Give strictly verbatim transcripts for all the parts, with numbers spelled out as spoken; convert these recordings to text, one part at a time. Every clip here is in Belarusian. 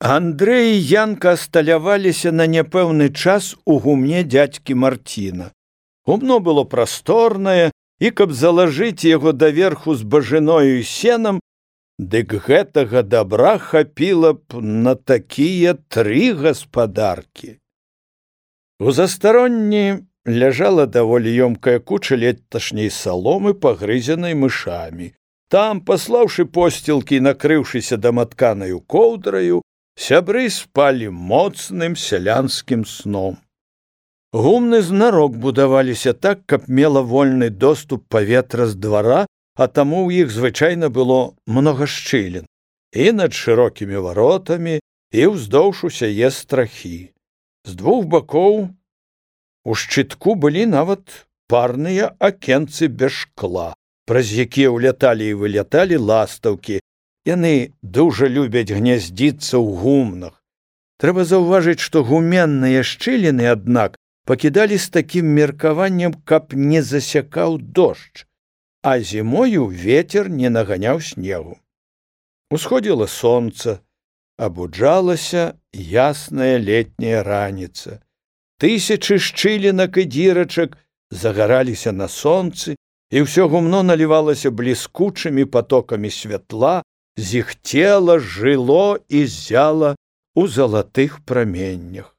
Андрэй і Янка асталяваліся на няпэўны час у гумне дзядзькі Марціна. Гумно было прасторнае, і каб залажыць яго даверху з бажыною і сенам, дык гэтага дабра хапіла б на такія тры гаспадаркі. У застаронні ляжала даволі ёмкая куча леташняй саломы, пагрызенай мышамі. Там, паслаўшы посцілкі і накрыўшыся даматканаю коўдраю, сябры спалі моцным сялянскім сном. Гумны знарок будаваліся так, каб мела вольны доступ паветра з двара, а таму ў іх звычайна было многа шчылін і над шырокімі варотамі, і ўздоўж усяе страхі. З двух бакоў у шчытку былі нават парныя акенцы без шкла, праз якія ўляталі і выляталі ластаўкі. Яны дужа любяць гняздзіцца ў гумнах. Трэба заўважыць, што гуменныя шчыліны, аднак, пакідалі з такім меркаваннем, каб не засякаў дождж, а зімою вецер не наганяў снегу. Усходзіла сонца, абуджалася ясная летняя раніца. Тысячы шчылінак і дзірачак загараліся на сонцы, і ўсё гумно налівалася бліскучымі патокамі святла, зіхцела, жыло і зяла у залатых праменнях.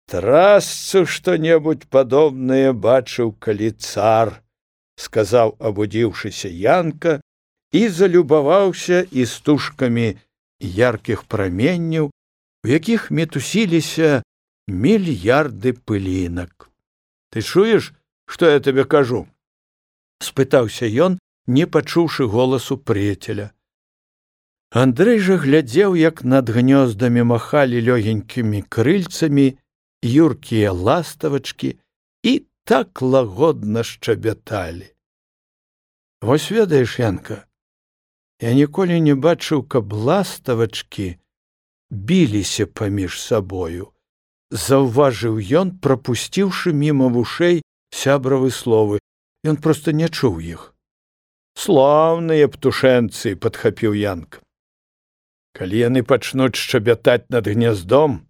«Трасцу што-небудзь падобнае бачыў, калі цар», — сказаў, абудзіўшыся Янка, і залюбаваўся істужкамі яркіх праменняў, у якіх мітусіліся мільярды пылінак. «Ты чуеш, што я табе кажу?» — спытаўся ён, не пачуўшы голасу прыяцеля. Андрэй жа глядзеў, як над гнёздамі махалі лёгенькімі крыльцамі юркія ластавачкі і так лагодна шчабяталі. «Вось ведаеш, Янка, я ніколі не бачыў, каб ластавачкі біліся паміж сабою», — заўважыў ён, прапусціўшы міма вушэй сябравы словы. Ён проста не чуў іх. «Слаўныя птушэнцы», — падхапіў Янка. «Калі яны пачнуць шчабятаць над гняздом,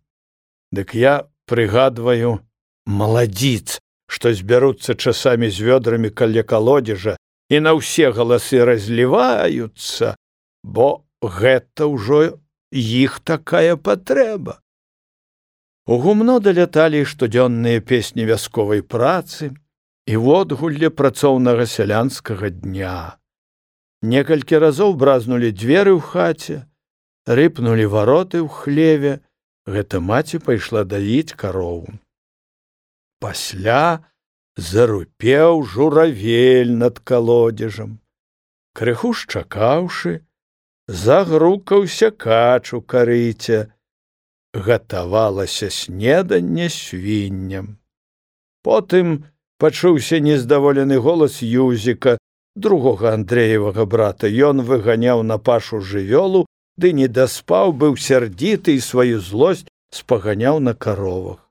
дык я прыгадваю маладзіц, што збяруцца часамі з вёдрамі каля калодзежа і на ўсе галасы разліваюцца, бо гэта ўжо іх такая патрэба». У гумно даляталі штодзённыя песні вясковай працы і водгулле працоўнага сялянскага дня. Некалькі разоў бразнулі дзверы ў хаце, рыпнулі вароты ў хлеве. Гэта маці пайшла даіць карову. Пасля зарупеў журавель над калодзежам. Крыху шчакаўшы, загрукаўся кач у карыце. Гатавалася снеданне свінням. Потым пачуўся нездаволены голас Юзіка, другога Андрэевага брата. Ён выганяў на пашу жывёлу, ды не даспаў, быў сярдзіты і сваю злосць спаганяў на каровах.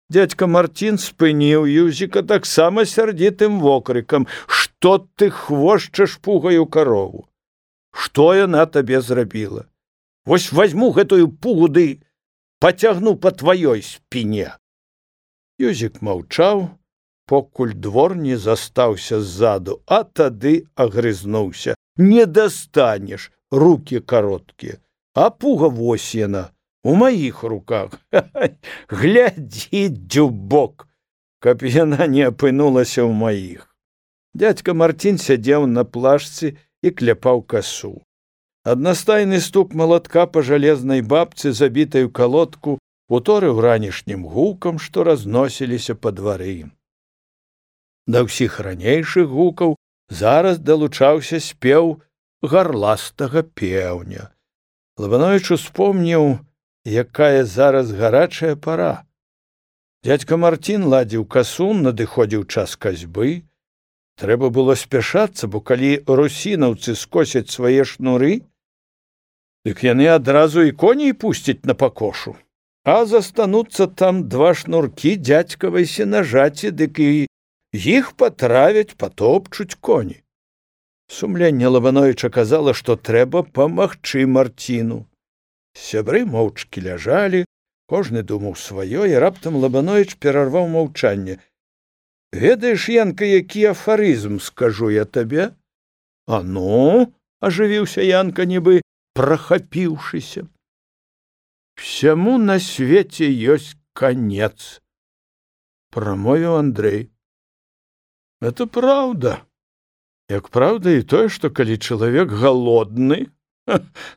Дзядзька Марцін спыніў Юзіка таксама сярдзітым вокрыкам: «Што ты хвошчаш пугаю карову? Што яна табе зрабіла? Вось вазьму гэтую пугу ды пацягну па тваёй спіне». Юзік маўчаў, покуль двор не застаўся ззаду, а тады агрызнуўся: «Не дастанеш, рукі кароткія, а пуга вось яна, у маіх руках. Глядзі, дзюбок, каб яна не апынулася ў маіх». Дзядзька Марцін сядзеў на плашцы і кляпаў касу. Аднастайны стук малатка па жалезнай бабцы, забітай у калодку, уторыў ранішнім гукам, што разносіліся па двары. Да ўсіх ранейшых гукаў зараз далучаўся спеў гарластага пеўня. Лабановіч успомніў, якая зараз гарачая пара. Дзядзька Марцін ладзіў касу, надыходзіў час касьбы. Трэба было спяшацца, бо калі русінаўцы скосяць свае шнуры, дык яны адразу і коней пусцяць на пакошу, а застануцца там два шнуркі дзядзькавай сенажаці, дык і іх патравяць, патопчуць коні. Сумленне Лабановіча казала, што трэба памагчы Марціну. Сябры моўчкі ляжалі, кожны думаў сваё, і раптам Лабановіч перарваў маўчанне. Ведаеш, Янка, які афарызм скажу я табе? А ну, ажывіўся Янка, нібы прахапіўшыся. Всяму на свеце ёсць конец, прамовіў Андрэй. Это правда. Як правда і тое, што калі чалавек галодны,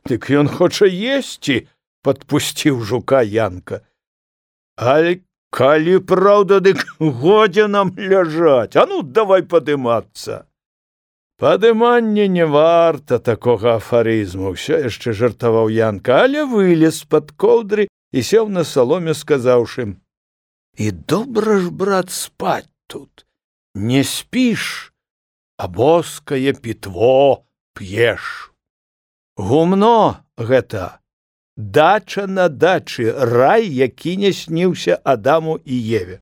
дык ён хоча есці, падпусціў жука Янка. Але калі правда, дык годзе нам ляжаць. А ну, давай падымацца. Падыманне не варта такога афарызму, ўсё яшчэ жартаваў Янка, але вылез з-пад коўдры і сеў на саломе, сказаўшы: і добра ж, брат, спаць тут. Не спіш, а боскае пітво п'еш. Гумно гэта, дача на дачы, рай, які не сніўся Адаму і Еве.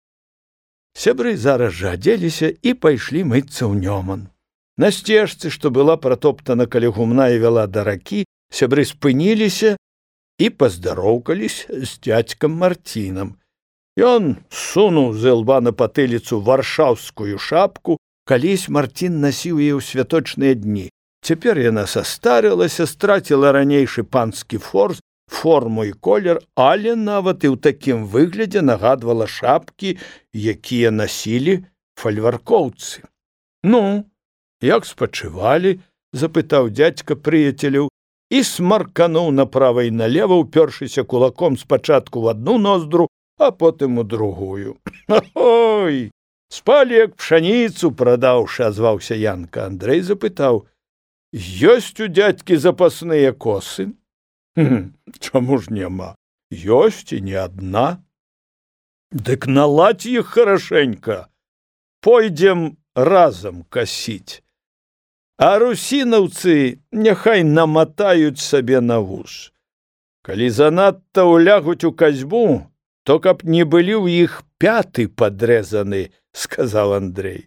Сябры зараз жа адзеліся і пайшлі мыцца ў Нёман. На сцежцы, што была пратоптана каля гумна і вяла да ракі, сябры спыніліся і паздароўкались з дзядзькам Марцінам. Ён сунуў з ілба на патыліцу варшаўскую шапку, калісь Марцін насіў яе ў святочныя дні. Цяпер яна састарылася, страціла ранейшы панскі форс, форму і колер, але нават і ў такім выглядзе нагадвала шапкі, якія насілі фальваркоўцы. Ну, як спачывалі? Запытаў дзядзька прыяцеляў і смаркануў направа і налева, упёршыся кулаком спачатку в адну ноздру, а потым у другую. Ой, спалі як пшаніцу прадаўшы, азваўся Янка. Андрэй запытаў: ёсць у дзядзькі запасныя косы? Чаму ж няма? Ёсць і не адна. Дык наладзь іх харашэнька. Пойдзем разам касіць. А русінаўцы няхай наматаюць сабе на вуз. Калі занадта улягуць у касьбу, то каб не былі ў іх пяты падрэзаны, сказаў Андрэй.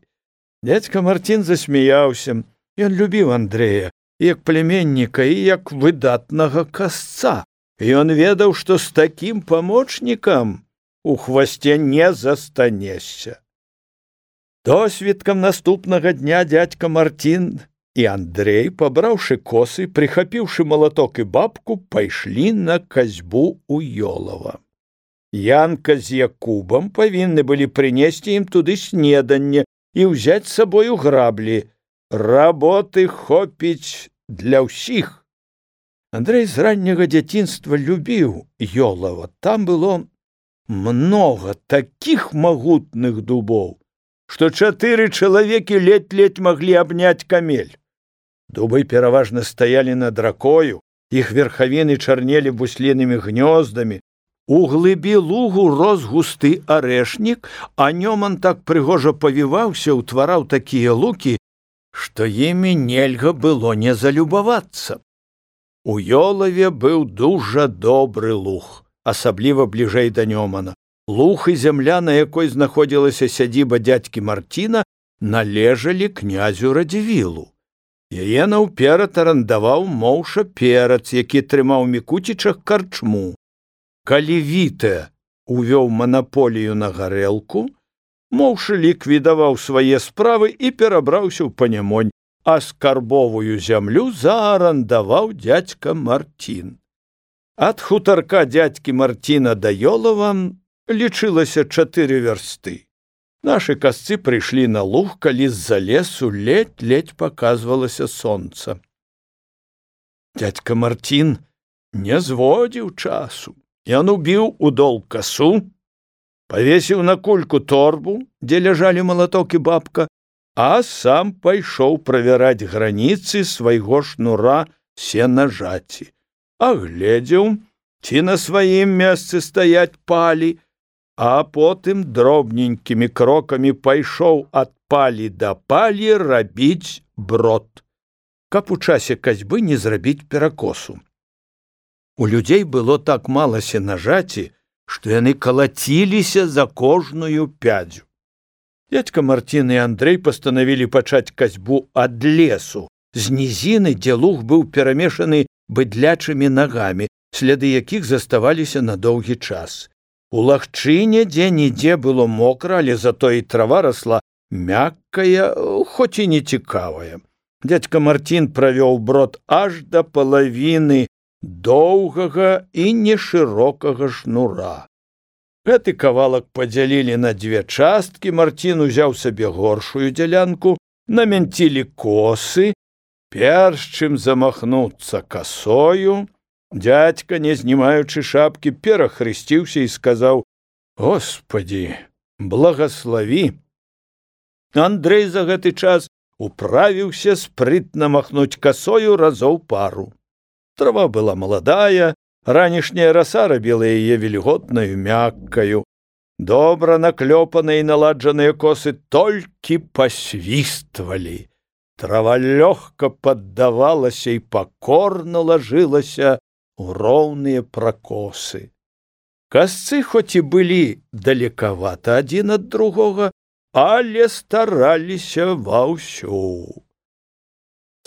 Дзядзька Марцін засмяяўся. Ён любіў Андрэя, як племянніка і як выдатнага касца. Ён ведаў, што з такім памочнікам у хвасце не застанешся. Досвідкам наступнага дня дзядзька Марцін і Андрэй, пабраўшы косы, прыхапіўшы малаток і бабку, пайшлі на касьбу ў Ёлава. Янка з Якубам павінны былі прынесці ім туды снеданне і ўзяць з сабою граблі. Работы хопіць для ўсіх. Андрэй з ранняга дзяцінства любіў Ёлава. Там было многа такіх магутных дубоў, што чатыры чалавекі ледь-ледь маглі абняць камель. Дубы пераважна стаялі над ракою, іх верхавіны чарнелі буслінымі гнёздамі. У глыбі лугу рос густы арэшнік, а Нёман так прыгожа павіваўся, утвараў такія лукі, што імі нельга было не залюбавацца. У Ёлаве быў дужа добры луг, асабліва бліжэй да Нёмана. Луг і зямля, на якой знаходзілася сядзіба дзядзькі Марціна, належалі князю Радзівілу. Яе наўперад арандаваў Моўша Перац, які трымаў Мікуцічах карчму. Калі Вітэ увёў манаполію на гарэлку, Моўша ліквідаваў свае справы і перабраўся ў Панямонь, а скарбовую зямлю заарандаваў дзядзька Марцін. Ад хутарка дзядзькі Марціна да Ёлава лічылася чатыры вярсты. Нашы касцы прыйшлі на луг, калі з-за лесу ледь-ледь паказвалася сонца. Дзядзька Марцін не зводзіў часу. Ён убіў у дол касу, павесіў на кульку торбу, дзе ляжалі малаток і бабка, а сам пайшоў правяраць граніцы свайго шнура сенажаці. Агледзеў, ці на сваім месцы стаяць палі, а потым дробненькімі крокамі пайшоў ад палі да палі рабіць брод, каб у часе касьбы не зрабіць перакосу. У людзей было так мала сенажаці, што яны калаціліся за кожную пядзю. Дзядзька Марцін і Андрэй пастанавілі пачаць касьбу ад лесу, з нізіны, дзе луг быў перамешаны быдлячымі нагамі. сляды якіх заставаліся на доўгі час. У лагчыне дзе-нідзе было мокра, але затое і трава расла мяккая, хоць і нецікавая. Дзядзька Мартін правёў брод аж да палавіны доўгага і нешырокага шнура. Гэты кавалак падзялілі на дзве часткі, Мартін узяў сабе горшую дзялянку, намянцілі косы, перш чым замахнуцца касою, дзядзька, не знімаючы шапкі, перахрысціўся і сказаў: «Господі, благаславі!» Андрэй за гэты час управіўся спрытна махнуць касою разоў пару. Трава была маладая, ранішняя раса рабіла яе вільготнаю, мяккаю. Добра наклёпаныя і наладжаныя косы толькі пасвіствалі. Трава лёгка паддавалася і пакорна лажылася ў роўныя пракосы. Касцы хоць і былі далекавата адзін ад другога, але стараліся ваўсю.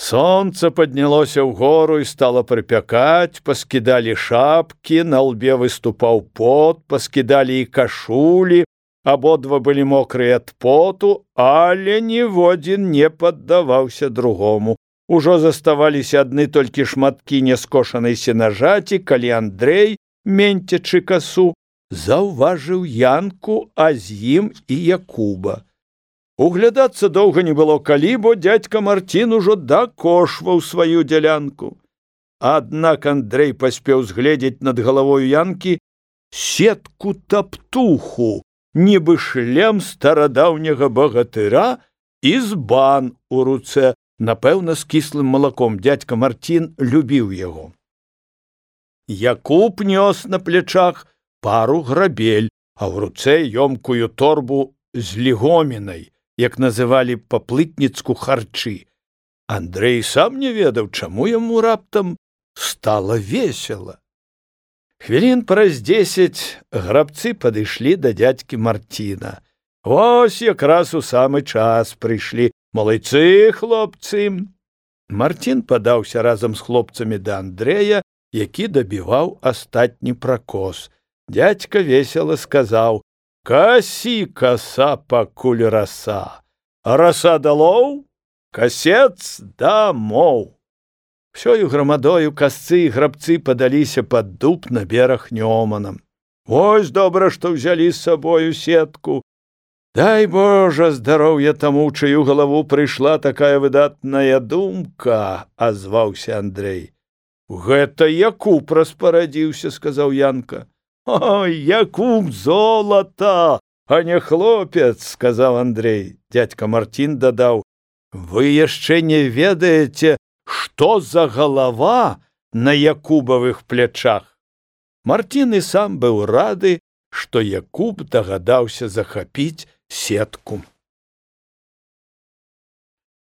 Сонца паднялося ўгору і стала прыпякаць, паскідалі шапкі, на лбе выступаў пот, паскідалі і кашулі, абодва былі мокрыя ад поту, але ніводзін не паддаваўся другому. Ужо заставаліся адны толькі шматкі няскошанай сенажаці, калі Андрэй, менцячы касу, заўважыў Янку, а з ім і Якуба. Углядацца доўга не было калі, бо дзядзька Мартін ужо дакошваў сваю дзялянку. Аднак Андрэй паспеў згледзець над галавою Янкі сетку-таптуху, нібы шлем старадаўняга багатыра і збан у руцэ, напэўна, з кіслым малаком. Дзядзька Мартін любіў яго. Якуб нёс на плечах пару грабель, а ў руцэ ёмкую торбу з лігомінай, як называлі па-плытніцку харчы. Андрэй сам не ведаў, чаму яму раптам стала весела. Хвілін праз дзесяць грабцы падышлі да дзядзькі Мартіна. Вось якраз у самы час прыйшлі. Малайцы, хлопцы! Мартін падаўся разам з хлопцамі да Андрэя, які дабіваў астатні пракос. Дзядзька весела сказаў: «Касі, каса, пакуль раса, а раса далоў, касец дамоў». Всёю грамадою касцы і грабцы падаліся пад дуб на бераг Нёманам. Вось добра, што ўзялі з сабою сетку. Дай Божа здароўя таму, чыю галаву прыйшла такая выдатная думка, азваўся Андрэй. Гэта Якуб распарадзіўся, сказаў Янка. Ой, Якуб золата, а не хлопец, сказаў Андрэй. Дзядзька Мартін дадаў: вы яшчэ не ведаеце, што за галава на Якубавых плячах. Мартін і сам быў рады, што Якуб дагадаўся захапіць сетку.